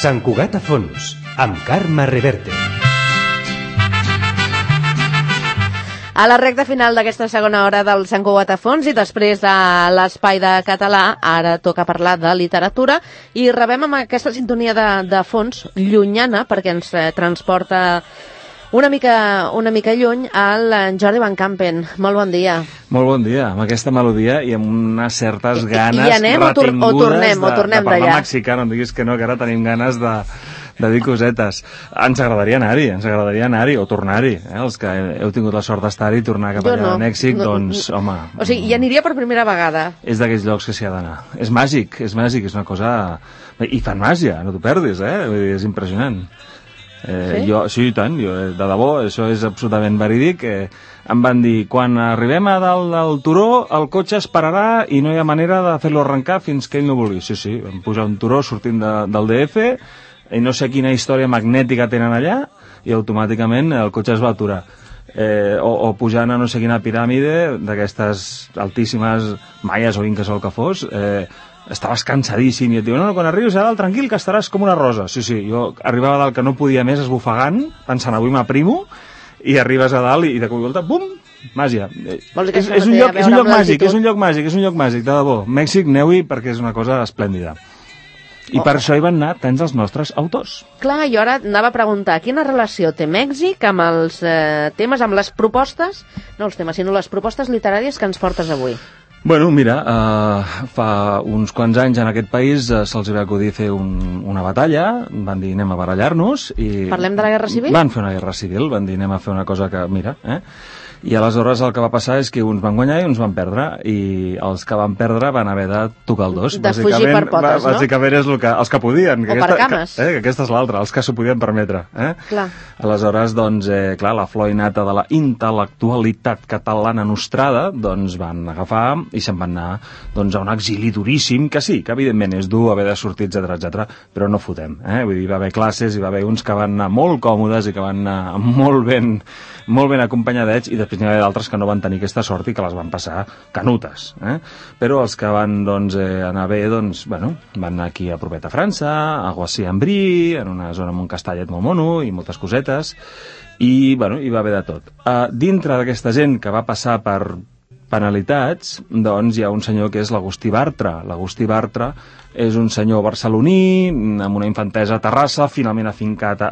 Sant Cugat a fons, amb Carme Reverte. A la recta final d'aquesta segona hora del Sant Cugat a fons i després de l'Espai de Català, ara toca parlar de literatura i rebem amb aquesta sintonia de fons llunyana perquè ens transporta una mica lluny al Jordi Van Campen. Molt bon dia. Molt bon dia, amb aquesta melodia i amb unes certes ganes I anem retingudes o tornem de parlar d'allà? mexicà. No em diguis que no, que ara tenim ganes de dir cosetes. Ens agradaria anar-hi o tornar-hi. Els que heu tingut la sort d'estar-hi i tornar cap allà a Mèxic, doncs, home... O sigui, hi aniria per primera vegada. És d'aquells llocs que s'hi ha d'anar. És màgic, és una cosa... I fan màgia, no t'ho perdis, Vull dir, és impressionant. Sí, i tant, de debò, això és absolutament verídic. Em van dir, quan arribem a dalt del turó, el cotxe es pararà i no hi ha manera de fer-lo arrencar fins que ell no vulgui. Sí, vam pujar un turó sortint del DF i no sé quina història magnètica tenen allà i automàticament el cotxe es va aturar. O pujant a no sé quina piràmide d'aquestes altíssimes maies o inques o el que fos, estaves cansadíssim i et diuen, no, quan arribis a dalt tranquil que estaràs com una rosa. Sí, jo arribava a dalt que no podia més esbufegant, pensant avui m'aprimo, i arribes a dalt i de cop i volta, bum, màgia. És un lloc màgic, de debò. Mèxic, aneu-hi perquè és una cosa esplèndida. I per això hi van anar tants els nostres autors. Clar, jo ara anava a preguntar quina relació té Mèxic amb els temes, amb les propostes, no els temes, sinó les propostes literàries que ens portes avui. Bueno, mira, fa uns quants anys en aquest país se'ls va acudir fer una batalla, van dir anem a barallar-nos i... Parlem de la Guerra Civil? Van fer una guerra civil, van dir anem a fer una cosa que, mira, I aleshores el que va passar és que uns van guanyar i uns van perdre, i els que van perdre van haver de tocar el dos. De fugir per potes, no? Bàsicament és els que podien. O per cames. Que aquesta és l'altra, els que s'ho podien permetre. Clar. Aleshores, doncs, clar, la flor innata de la intel·lectualitat catalana nostrada, doncs van agafar i se'n van anar doncs, a un exili duríssim, que sí, que evidentment és dur haver de sortir, etc, però no fotem. Vull dir, hi va haver classes, hi va haver uns que van anar molt còmodes i que van anar molt ben acompanyadets, i després n'hi va haver d'altres que no van tenir aquesta sort i que les van passar canutes. Però els que van anar bé, van anar aquí a propet a França, a Guassy-en-Brie, en una zona amb un castellet molt mono i moltes cosetes, i hi va haver de tot. Dintre d'aquesta gent que va passar per penalitats, doncs hi ha un senyor que és l'Agustí Bartra. L'Agustí Bartra és un senyor barceloní, amb una infantesa a Terrassa, finalment afincat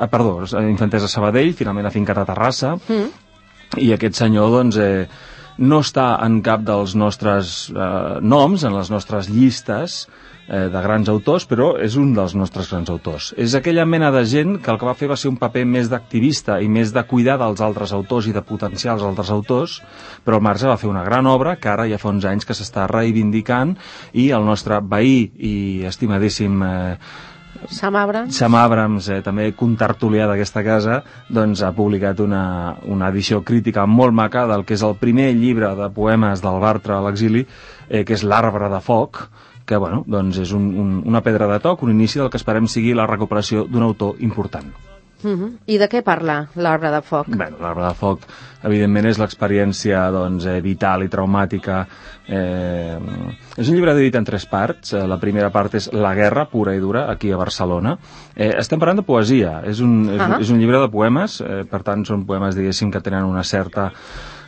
infantesa a Sabadell, finalment afincat a Terrassa, i aquest senyor, doncs, no està en cap dels nostres noms, en les nostres llistes de grans autors, però és un dels nostres grans autors. És aquella mena de gent que el que va fer va ser un paper més d'activista i més de cuidar dels altres autors i de potenciar els altres autors, però el Marge va fer una gran obra que ara ja fa uns anys que s'està reivindicant, i el nostre veí i estimadíssim Sam Abrams, també contertulià d'aquesta casa, doncs ha publicat una edició crítica molt maca del que és el primer llibre de poemes del Bartra a l'exili, que és L'Arbre de Foc, que doncs és una pedra de toc, un inici del que esperem sigui la recuperació d'un autor important. I de què parla L'Arbre de Foc? L'Arbre de Foc, evidentment, és l'experiència vital i traumàtica. És un llibre dividit en 3 parts. La primera part és la guerra pura i dura, aquí a Barcelona. Estem parlant de poesia. És un llibre de poemes, per tant, són poemes, diguéssim, que tenen una certa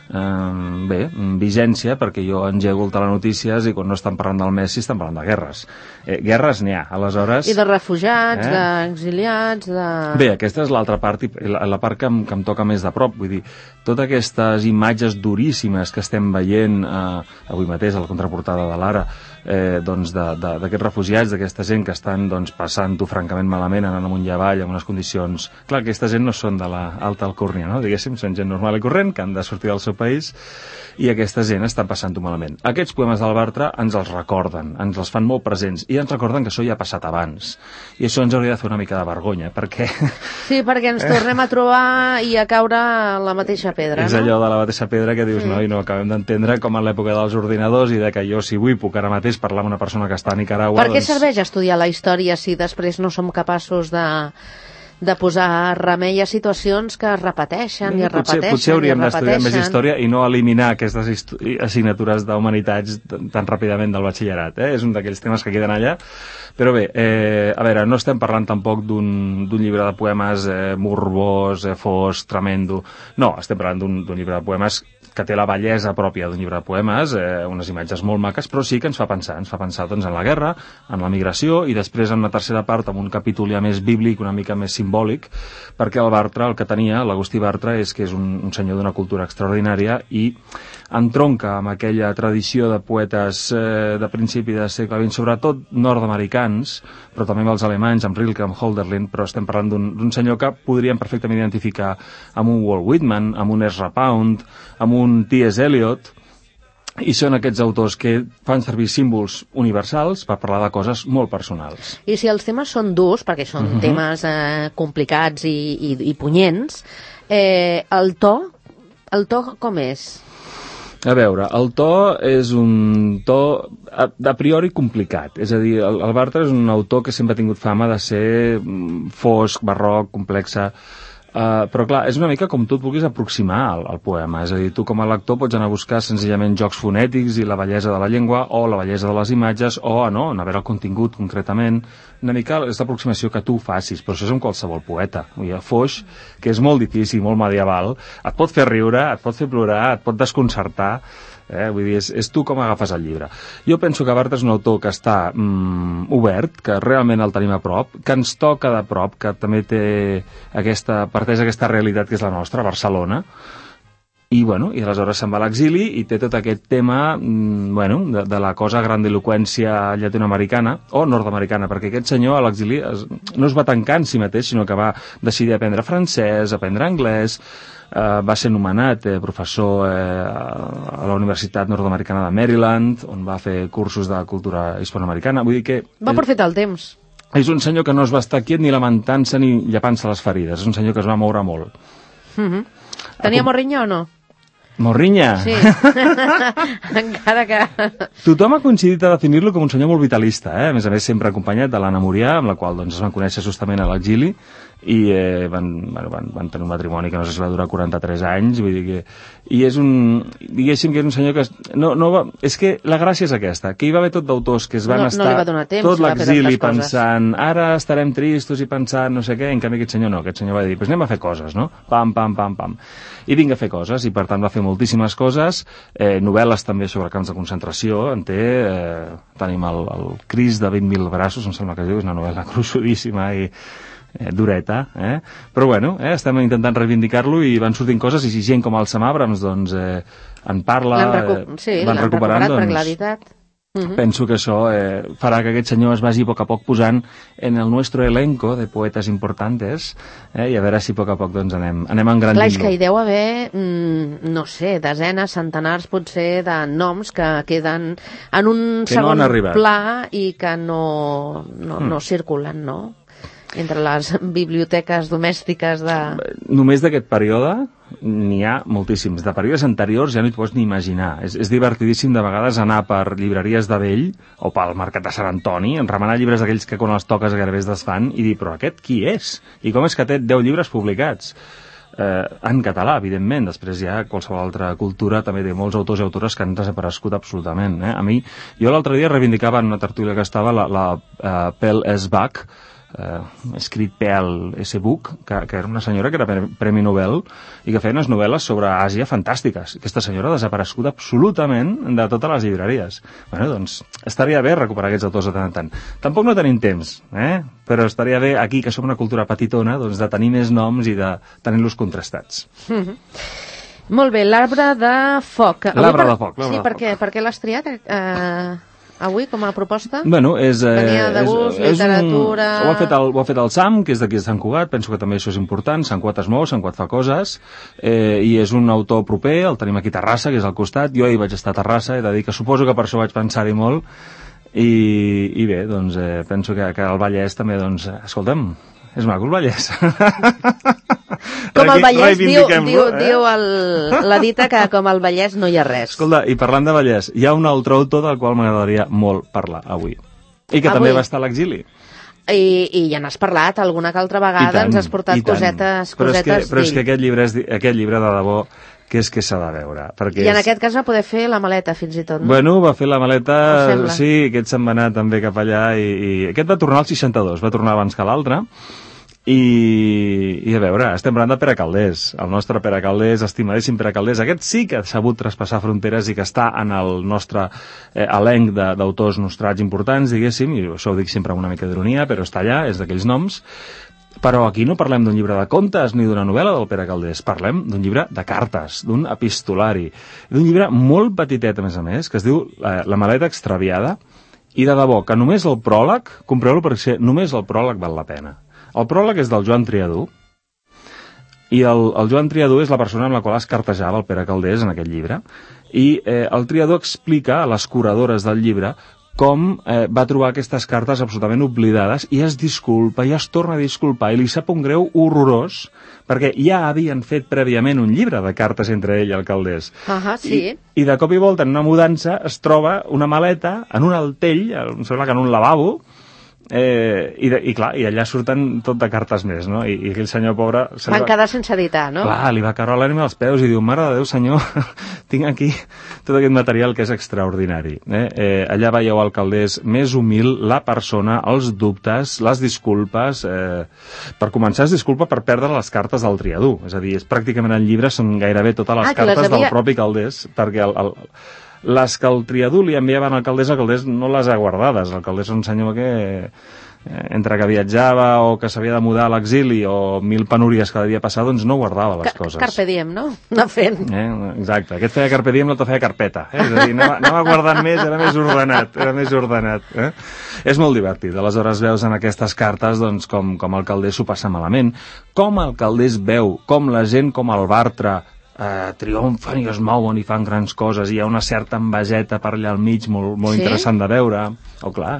vigència, perquè jo engego el telenotícies i quan no estan parlant del Messi estan parlant de guerres. Guerres n'hi ha, aleshores... I de refugiats, d'exiliats, de... Bé, aquesta és l'altra part, la part que em toca més de prop, vull dir, totes aquestes imatges duríssimes que estem veient avui mateix a la contraportada de l'Ara, d'aquests refugiats, d'aquesta gent que estan passant-ho francament malament, anant amunt i avall en unes condicions... Clar, aquesta gent no són de l'alta alcúrnia, no? Diguéssim, són gent normal i corrent que han de sortir del seu país, i aquesta gent està passant-ho malament. Aquests poemes del Bartra ens els recorden, ens els fan molt presents, i ens recorden que això ja ha passat abans. I això ens hauria de fer una mica de vergonya, perquè... Sí, perquè ens tornem a trobar i a caure a la mateixa pedra, no? És allò de la mateixa pedra que dius, no, i no acabem d'entendre com en l'època dels ordinadors i de que jo, si vull, puc ara mateix parlar amb una persona que està a Nicaragua... Per què serveix estudiar la història si després no som capaços de posar remei a situacions que es repeteixen i es repeteixen. Potser hauríem d'estudiar més història i no eliminar aquestes assignatures d'humanitats tan ràpidament del batxillerat. És un d'aquells temes que queden allà. Però bé, a veure, no estem parlant tampoc d'un llibre de poemes morbós, fosc, tremendo. No, estem parlant d'un llibre de poemes que té la bellesa pròpia d'un llibre de poemes, unes imatges molt maques, però sí que ens fa pensar doncs, en la guerra, en la migració, i després en una tercera part amb un capítol ja més bíblic, una mica més simbòlic, perquè el Bartra, el que tenia, l'Agustí Bartra, és que és un senyor d'una cultura extraordinària i entronca amb aquella tradició de poetes de principi del segle XX, sobretot nord-americans, però també amb els alemanys, amb Rilke, amb Hölderlin, però estem parlant d'un senyor que podríem perfectament identificar amb un Walt Whitman, amb un Ezra Pound, amb un T.S. Eliot, i són aquests autors que fan servir símbols universals per parlar de coses molt personals. I si els temes són durs, perquè són temes complicats i punyents, el to com és? A veure, el to és un to a priori complicat, és a dir, el Bartra és un autor que sempre ha tingut fama de ser fosc, barroc, complexa, però clar, és una mica com tu et vulguis aproximar al poema, és a dir, tu com a lector pots anar a buscar senzillament jocs fonètics i la bellesa de la llengua o la bellesa de les imatges o no, anar a veure el contingut concretament, una mica és l'aproximació que tu facis, però això és amb qualsevol poeta. Foix, que és molt difícil, molt medieval, et pot fer riure, et pot fer plorar, et pot desconcertar, vull dir, és tu com agafes el llibre. Jo penso que Bartra és un autor que està obert, que realment el tenim a prop, que ens toca de prop, que també parteix aquesta realitat que és la nostra, Barcelona, i aleshores se'n va a l'exili i té tot aquest tema de la cosa grandiloqüència llatinoamericana o nord-americana, perquè aquest senyor a l'exili no es va tancar en si mateix, sinó que va decidir aprendre francès, aprendre anglès, va ser nomenat professor a la Universitat Nord-Americana de Maryland, on va fer cursos de cultura hispanoamericana. Vull dir que va aprofitar el temps. És un senyor que no es va estar quiet ni lamentant-se ni llepant-se les ferides. És un senyor que es va moure molt. Tenia morrinya o no? Morrinya? Sí. Encara que... Tothom ha coincidit a definir-lo com un senyor molt vitalista, A més sempre acompanyat de l'Anna Murià, amb la qual es van conèixer justament a l'exili, i van tenir un matrimoni que no sé si va durar 43 anys, vull dir que... I és diguéssim que és un senyor que... és que la gràcia és aquesta, que hi va haver tot d'autors que es van estar tot l'exili pensant, ara estarem tristos i pensant no sé què, en canvi aquest senyor no, aquest senyor va dir, doncs anem a fer coses, no? Pam, pam, pam, pam. I vinga a fer coses, i per tant va fer moltíssimes coses, novel·les també sobre camps de concentració, tenim el Cris de 20.000 braços, em sembla que es diu, és una novel·la gruixudíssima i dureta, però estem intentant reivindicar-lo i van sortint coses i si gent com el Sam Abrams en parla, van recuperant, doncs penso que això farà que aquest senyor es vagi a poc posant en el nostre elenco de poetes importantes i a veure si a poc doncs anem engrandint-lo. Clar, és que hi deu haver, no sé, desenes, centenars potser de noms que queden en un segon pla i que no circulen, no? Entre les biblioteques domèstiques de... Només d'aquest període n'hi ha moltíssims. De períodes anteriors ja no t'ho pots ni imaginar. És divertidíssim de vegades anar per llibreries de vell o pel mercat de Sant Antoni, remenar llibres d'aquells que quan els toques gairebé es desfan i dir, però aquest qui és? I com és que té 10 llibres publicats? En català, evidentment. Després ja qualsevol altra cultura també té molts autors i autores que han desaparegut absolutament. A mi, jo l'altre dia reivindicava en una tertúlia que estava la Pel S. Buck, escrit Pel S. Buck, que era una senyora que era Premi Nobel i que feia unes novel·les sobre Àsia fantàstiques. Aquesta senyora ha desaparegut absolutament de totes les llibreries. Doncs estaria bé recuperar aquests autors de tant en tant. Tampoc no tenim temps, però estaria bé aquí, que som una cultura petitona, doncs de tenir més noms i de tenir-los contrastats. Molt bé, l'arbre de foc. L'arbre de foc. Sí, per què l'has triat? Avui, com a proposta? Venia de gust, literatura... Ho ha fet el Sam, que és d'aquí de Sant Cugat, penso que també això és important, Sant Cugat es mou, Sant Cugat fa coses, i és un autor proper, el tenim aquí a Terrassa, que és al costat, jo hi vaig estar a Terrassa, he de dir que suposo que per això vaig pensar-hi molt, i bé, doncs penso que el Vallès també, doncs, escolta'm, és maco el Vallès. Com el Vallès, diu la dita que com el Vallès no hi ha res. Escolta, i parlant de Vallès, hi ha un altre autor del qual m'agradaria molt parlar avui. I que també va estar a l'exili. I ja n'has parlat alguna que altra vegada, ens has portat cosetes però és d'ell. que aquest llibre de debò, que és que s'ha de veure. I en aquest cas va poder fer la maleta, fins i tot, no? Bueno, va fer la maleta, sí, aquest se'n va anar també cap allà, i aquest va tornar al 62, va tornar abans que l'altre, i a veure, estem parlant de Pere Calders, el nostre Pere Calders, estimadíssim Pere Calders. Aquest sí que ha sabut traspassar fronteres i que està en el nostre elenc d'autors nostrats importants, diguéssim, i això ho dic sempre amb una mica d'ironia, però està allà, és d'aquells noms. Però aquí no parlem d'un llibre de contes ni d'una novel·la del Pere Calders, parlem d'un llibre de cartes, d'un epistolari, d'un llibre molt petitet, a més, que es diu La maleta extraviada, i de debò, que només el pròleg, compreu-lo perquè només el pròleg val la pena. El pròleg és del Joan Triadú, i el Joan Triadú és la persona amb la qual es cartejava el Pere Calders en aquest llibre, i el Triadú explica a les curadores del llibre com va trobar aquestes cartes absolutament oblidades, i es disculpa, i es torna a disculpar, i li sap un greu horrorós, perquè ja havien fet prèviament un llibre de cartes entre ell i el Calders. Sí. I de cop i volta, en una mudança, es troba una maleta en un altell, em sembla que en un lavabo, i clar, i allà surten tot de cartes més, no? I aquell senyor pobre... Van quedar sense editar, no? Clar, li va caure l'ànima als peus i diu, mare de Déu, senyor, tinc aquí tot aquest material que és extraordinari. Allà veieu el Calders més humil, la persona, els dubtes, les disculpes. Per començar, es disculpa per perdre les cartes del Triadú. És a dir, pràcticament el llibre són gairebé totes les cartes del propi Calders, perquè les que el Triadú li enviaven al Calders, el Calders no les ha guardades. El Calders és un senyor que, entre que viatjava o que s'havia de mudar a l'exili o mil penúries que devia passar, doncs no guardava les coses. Carpe diem, no? Anar fent. Exacte. Aquest feia carpe diem, l'altre feia carpeta. És a dir, anava guardant més, era més ordenat. És molt divertit. Aleshores veus en aquestes cartes doncs, com el Calders s'ho passa malament, com el Calders veu, com la gent com el Bartra triomfen i es mouen i fan grans coses, i hi ha una certa enveseta per allà al mig molt interessant de veure. Clar,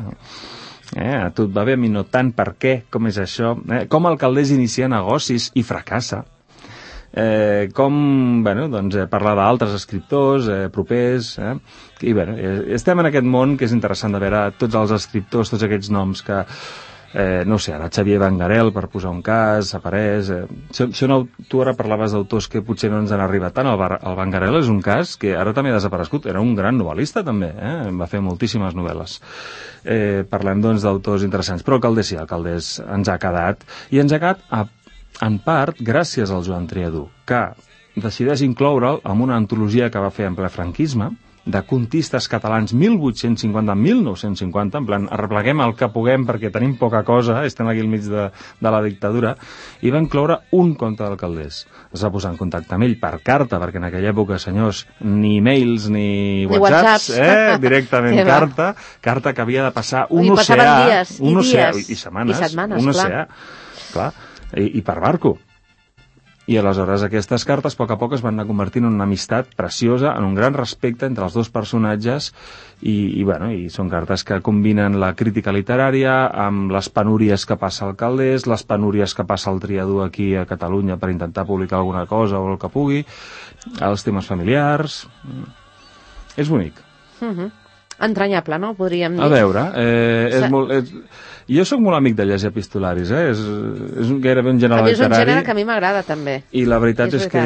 a tu et va bé, a mi no tant, per què, com és això, com el Calders inicia negocis i fracassa, com parlar d'altres escriptors propers, i estem en aquest món que és interessant de veure tots els escriptors, tots aquests noms que no sé, ara Xavier Vangarel, per posar un cas, apareix. Tu ara parlaves d'autors que potser no ens han arribat tant. El Vangarel és un cas que ara també ha desaparegut. Era un gran novel·lista, també. Va fer moltíssimes novel·les. Parlem, doncs, d'autors interessants. Però el Calders sí, el Calders ens ha quedat. I ens ha quedat, en part, gràcies al Joan Triadú, que decideix incloure'l en una antologia que va fer en ple franquisme, de contistes catalans 1850-1950, en plan, arrepleguem el que puguem perquè tenim poca cosa, estem aquí al mig de la dictadura, i va incloure un conte del Calders. Es va posar en contacte amb ell per carta, perquè en aquella època, senyors, ni e-mails ni whatsapps, directament carta que havia de passar un oceà, i setmanes, un oceà, clar, i per barco. I aleshores aquestes cartes, a poc es van anar convertint en una amistat preciosa, en un gran respecte entre els dos personatges, i són cartes que combinen la crítica literària amb les penúries que passa al Calders, les penúries que passa el Triadú aquí a Catalunya per intentar publicar alguna cosa o el que pugui, els temes familiars. És bonic. Entranyable, no? Podríem dir. A veure, jo sóc molt amic de llegir epistolaris, és gairebé un gènere literari. És un gènere que a mi m'agrada, també. I la veritat és que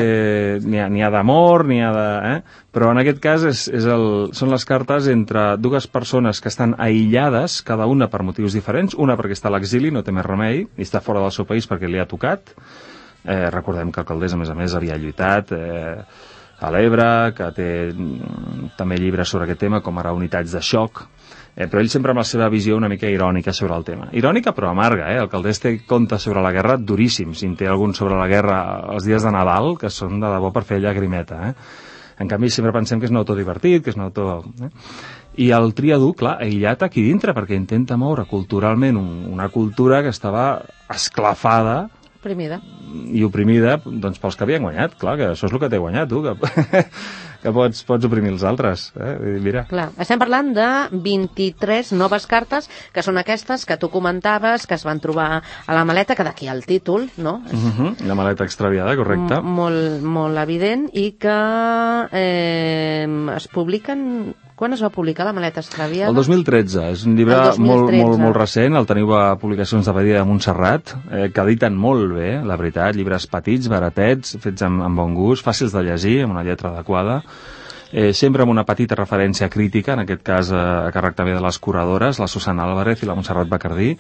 n'hi ha d'amor, n'hi ha de... Però en aquest cas són les cartes entre dues persones que estan aïllades, cada una per motius diferents, una perquè està a l'exili, no té més remei, i està fora del seu país perquè li ha tocat. Recordem que el Calders, a més, havia lluitat a l'Ebre, que té també llibres sobre aquest tema, com ara Unitats de xoc, però ell sempre amb la seva visió una mica irònica sobre el tema. Irònica però amarga, El Calders té contes sobre la guerra duríssims, i en té algun sobre la guerra els dies de Nadal, que són de debò per fer llagrimeta, En canvi, sempre pensem que és un autor divertit, que és un autor... I el Triadú, clar, aïllat aquí dintre, perquè intenta moure culturalment una cultura que estava esclafada, oprimida doncs, pels que havien guanyat. Clar, que això és el que t'he guanyat, tu, que pots oprimir els altres. Mira. Clar, estem parlant de 23 noves cartes, que són aquestes que tu comentaves, que es van trobar a la maleta, que d'aquí el títol, no? La maleta extraviada, correcte. Molt evident, i que es publiquen Quan es va publicar La maleta extraviada? El 2013. És un llibre molt recent. El teniu a Publicacions de Badia de Montserrat, que editen molt bé, la veritat. Llibres petits, baratets, fets amb bon gust, fàcils de llegir, amb una lletra adequada. Sempre amb una petita referència crítica, en aquest cas a càrrec també de les curadores, la Susana Álvarez i la Montserrat Bacardí.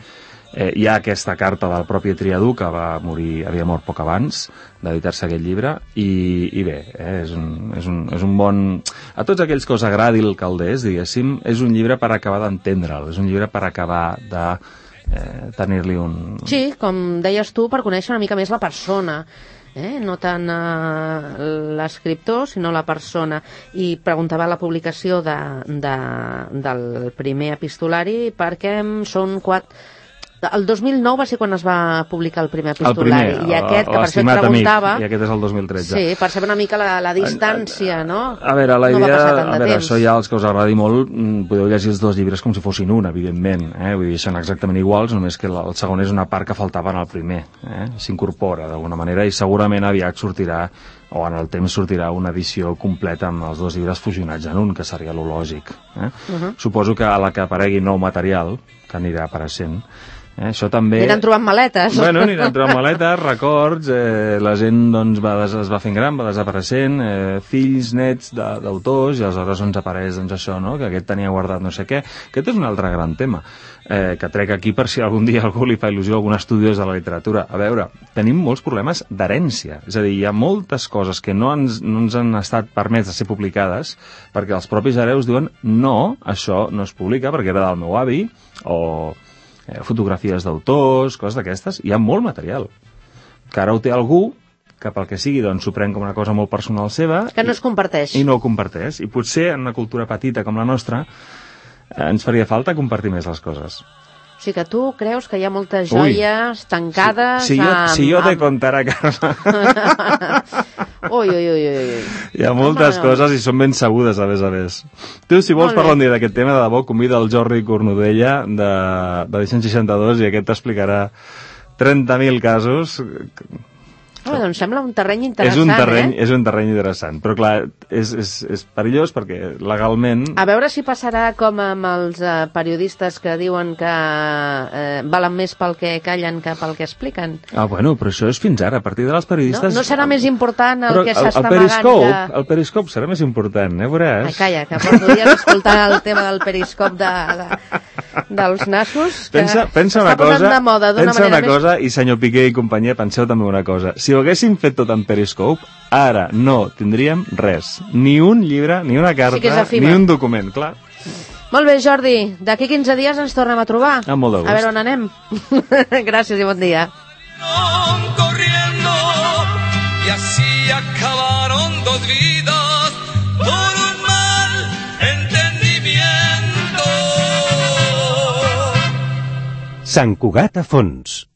Hi ha aquesta carta del propi Triadú, que havia mort poc abans d'editar-se aquest llibre, i bé, és un bon... A tots aquells que us agradi el Calders, diguéssim, és un llibre per acabar d'entendre'l, és un llibre per acabar de tenir-li un... Sí, com deies tu, per conèixer una mica més la persona, no tant l'escriptor, sinó la persona. I preguntava la publicació del primer epistolari perquè són 4... El 2009 va ser quan es va publicar el primer epistolari. I aquest, que per això et preguntava... Amic, i aquest és el 2013. Sí, per saber una mica la distància, no? A veure, la idea... No va passar tant de temps. Això ja, els que us agradi molt, podeu llegir els dos llibres com si fossin un, evidentment. Vull dir, són exactament iguals, només que el segon és una part que faltava en el primer. S'incorpora, d'alguna manera, i segurament aviat sortirà, o en el temps sortirà, una edició completa amb els dos llibres fusionats en un, que seria lo lògic. Suposo que a la que aparegui nou material, que anirà apareixent, això també... Aniran trobant maletes. Bueno, aniran trobant maletes, records, la gent doncs, es va fent gran, va desapareixent, fills, nets d'autors, i aleshores ens apareix doncs, això, no? Que aquest tenia guardat no sé què. Aquest és un altre gran tema, que trec aquí per si algun dia algú li fa il·lusió a algun estudiós de la literatura. A veure, tenim molts problemes d'herència, és a dir, hi ha moltes coses que no ens han estat permès de ser publicades perquè els propis hereus diuen no, això no es publica perquè era del meu avi, o... fotografies d'autors, coses d'aquestes, hi ha molt material que ara ho té algú que pel que sigui doncs s'ho pren com una cosa molt personal seva que no es comparteix i no ho comparteix, i potser en una cultura petita com la nostra ens faria falta compartir més les coses. O sigui que tu creus que hi ha moltes joies tancades... Si jo te contara, Carme... Ui. Hi ha moltes coses i són ben sabudes, a més. Tu, si vols parlar un dia d'aquest tema, de debò, convida el Jordi Cornudella de Edicions 62 i aquest t'explicarà 30.000 casos... Doncs sembla un terreny interessant, És un terreny interessant, però clar, és perillós perquè legalment... A veure si passarà com amb els periodistes que diuen que valen més pel que callen que pel que expliquen. Bueno, però això és fins ara, a partir de les periodistes... No serà més important el que s'està amagant que... El periscop serà més important, veuràs. Ai, calla, que podries escoltar el tema del periscop dels nassos, que pensa una cosa, i senyor Piqué i companyia, penseu també una cosa. Si ho haguéssim fet tot en Periscope, ara no tindríem res. Ni un llibre, ni una carta, ni un document, clar. Molt bé, Jordi. D'aquí 15 dies ens tornem a trobar. Amb molt de gust. A veure on anem. Gràcies i bon dia. Corriendo, y así acabaron dos vidas por un mal entendimiento. Sant Cugat a fons.